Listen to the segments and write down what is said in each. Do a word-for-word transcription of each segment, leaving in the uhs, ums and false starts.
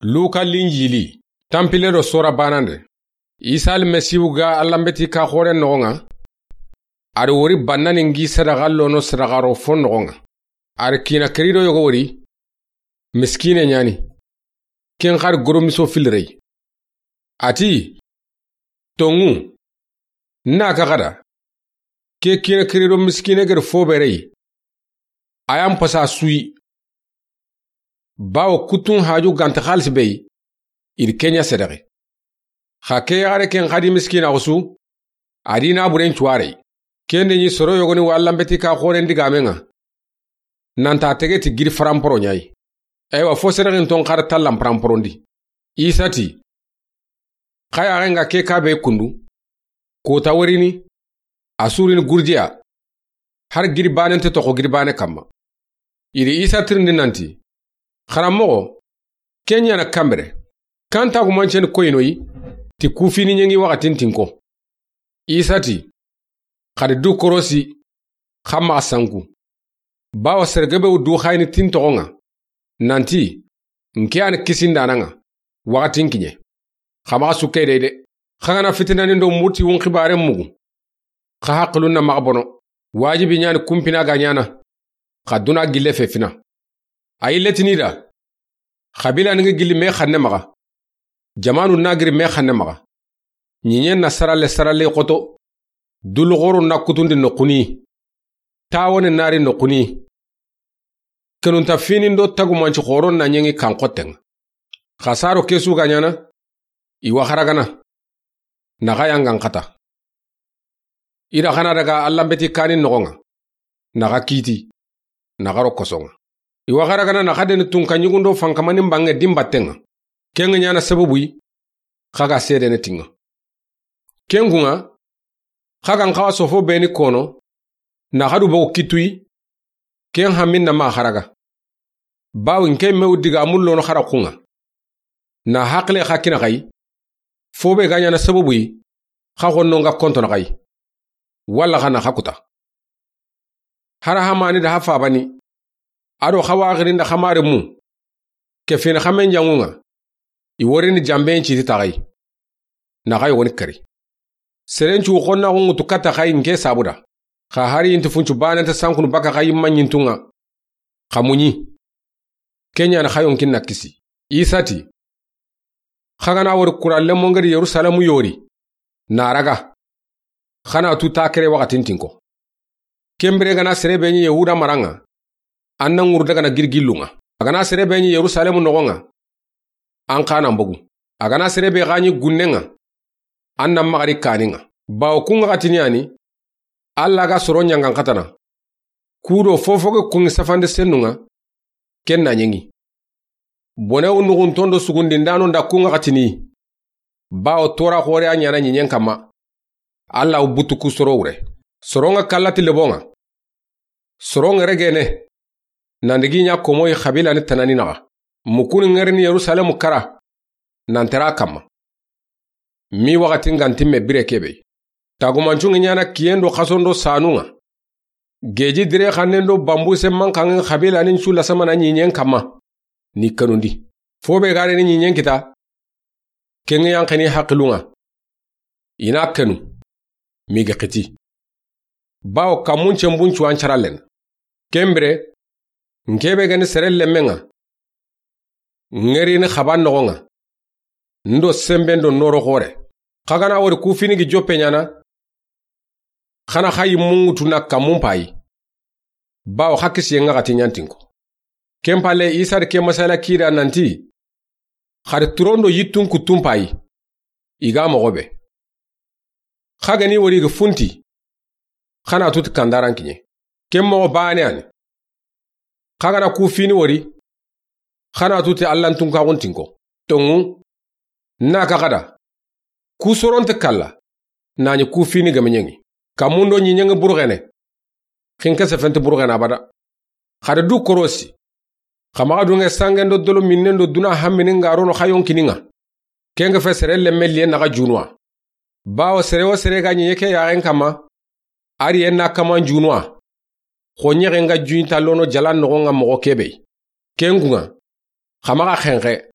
Luka Linjili, tanpille do sora banande. Isa Almasihu ga Alla n beti ka xoren noxon ŋa, a do wori bannani n gi sadaxa lono sadaxa ro fo noxon ŋa. A do kiina kerido yogo wori, miskine ɲaani. Ken xa do goromiso filirey. A ti, tonŋu, n na ka xada, ke kiina kerido miskine gedi fo berey, a yan pasa suyi. Bawo kutun haju ganti xalisi bey, i di ke ɲa sedexe. Xa ke yaxare ken xadi miskina xusu, a di na buren cuwarey. Ken di ɲi soro yogoni wa Alla n beti ka xoren digamen ŋa. Nanta tege ti giri faranporo ɲayi. Eywa, fo sedexinton xa da tallan faranporondi. Isa ti, xa yaxen ga ke ka be kundu, kota worini, a surini gurjiya, har giri banen te toxo giri bane kamma. I di Isa tirindi nanti, xaranmoxo, ke ɲaana kanbere, kan tagumanceni koyinoyi, ti kufini ɲeŋi waxatin tinko. Isa ti, xa di du korosi, xa maxa sanku. Bawo serege be wu du xayini tin toxon ŋa, nanti, n ke yani kisindanan ŋa, waxatin kiɲe. Xa maxa sukkey dey de. Xa ga na fitinani do murti wun xibaren mugu, xa haqilun na maxa bono. Wajibi ɲaani kunpina ga ɲaana, xa duna gille fe fina. A yille tini da, xabila ni ŋa gilli me xanne maxa, jamanu na giri me xanne maxa. Ɲiɲen na saralle saralle xoto, dulu xoro na kutundi noxuni, tawone nari noxuni. Kenunta finin do tagumanci xoron na ɲeŋi kan xotten ŋa. Xa saro kesu ga ɲaana, i wa xaragana, na xa yangan xata. I da xa na daga Alla n beti kanin noxon ŋa, na xa kiti, na xa ro koson ŋa. I wa xaragana na xa deni tunka ɲugundo fankamanin banŋe din batten ŋa. Ken ŋa ɲaana sababuyi, xa ga sedene tin ŋa. Ken kun ŋa, xa gan xawa sofo beni kono, na xa du bogu kituyi, ken hamin na maxa xaraga. Bawo n ke me wu digamun lono xara kun ŋa. Na haqile xa kina xayi, fo be ga ɲaana sababuyi, xa xonno n ga kontono xayi. Walla xa na xa kuta. Hara hamani da ha fabani, a do xa waxirin da xa mare mu, ke fini xa men janŋun ŋa, i worini jamben citi taxayi, na xa yogoni kari. Seren cu xonnaxu ŋutu katta xayi n ke sabu da. Xa hari inti funcu banente sankunu baka xayi maɲintun ŋa. Xa muɲi. Ke ɲaani xa yonkin na kisi. Isa ti, xa ga na wori kura lemon gedi Yerusalemu yori, na raga, xa na tu ta kere waxatin tinko. Ken bire ga na sere be ɲi Yahuda maran ŋa, an na ŋuru daga na girgillun ŋa. A ga na sere be ɲi Yerusalemu noxon ŋa, an xa na n bogu. A ga na sere be xa ɲi gunnen ŋa, an na maxari kanin ŋa. Bawo kun ŋa xatini yani, Alla ga soro ɲangan xatana. Ku do fofo ge kun ŋi safande sennun ŋa, ken na ɲeŋi. Bone wu nuxunton do sugundindano nda kun ŋa xatini. Bawo tora xore a ɲaana ɲiɲen kamma. Alla wu butu ku soro wure. Soron ŋa kallati lebon ŋa. Soron ŋa regene. Nandigi ɲa komoyi xabila ni tanani naxa. Mukuni ŋerini Yerusalemu kara. Nan tera kamma. Mi waxatin ga nti me bire kebe. Tagumancun ŋa ɲaana kiyen do xason do sanun ŋa. Geji dire xannen do bambuse mankanŋen xabila nin cu lasamana ɲiɲen kamma. Ni kanundi. Fo be gare ni ɲiɲen kita. Ken ŋa yanxeni haqilun ŋa. I na kanu. Mi ga xiti. Bawo kammun cenbun cuwan carallen. Ken bire, n ke be gani sere lemmen ŋa. Ŋerini xaban noxon ŋa. N do semben do noro xore. Xa ga na wori ku fini gi joppe ɲaana. Xa na xa yimmun ŋutu na kammun payi. Bawo xa kisiyen ŋa xati ɲantinko. Ken palle Isa di ke masala kida nanti. Xa di turon do yittun kuttun payi. I ga moxo be. Xa ga ni wori ga funti. Xa na tuti kandaran kiɲe. Ken moxo bane ani. Xa ga na ku fini wori. Xa na tuti Allan tunkaxun tinko. Tonŋu. Na ka xada. Ku soronte kalla. Na ɲi ku fini ga meɲeŋi. Kammun do ɲiɲeŋi burxene. Xinke sefenti burxene abada. Xa di du korosi. Xa maxa dunŋe sangen do dolo minnen do duna hammini nga rono xa yonkini ŋa. Ken ga fe sere lemme liye naxa junuwa. Bawo sere wo sere ga ɲiɲe ke yaxen kamma. Ari en na kaman junuwa. Xo ɲexe nga juɲi ta lono jalan noxon ŋa moxo kebe. Ken kun ŋa. Xa maxa xenxe.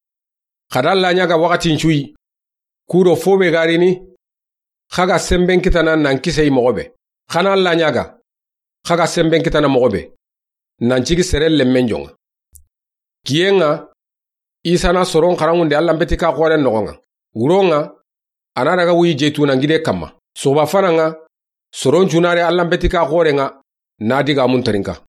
Xa da Alla ɲaaga waxatin su yi, ku do fo be ga rini, xa ga senben kitana nan kise yi moxo be. Xa na Alla ɲaaga, xa ga senben kitana moxo be, nan sigi sere lemmen jonŋa. Kiyen ŋa, Isa na soron xaranŋunde Allan beti ka xoren noxon ŋa. Wuron ŋa, a na daga wuyi Zeytuna gide kanma. Suxuba fanan ŋa, soron su na ri Allan beti ka xoren ŋa, na digaamun terinka.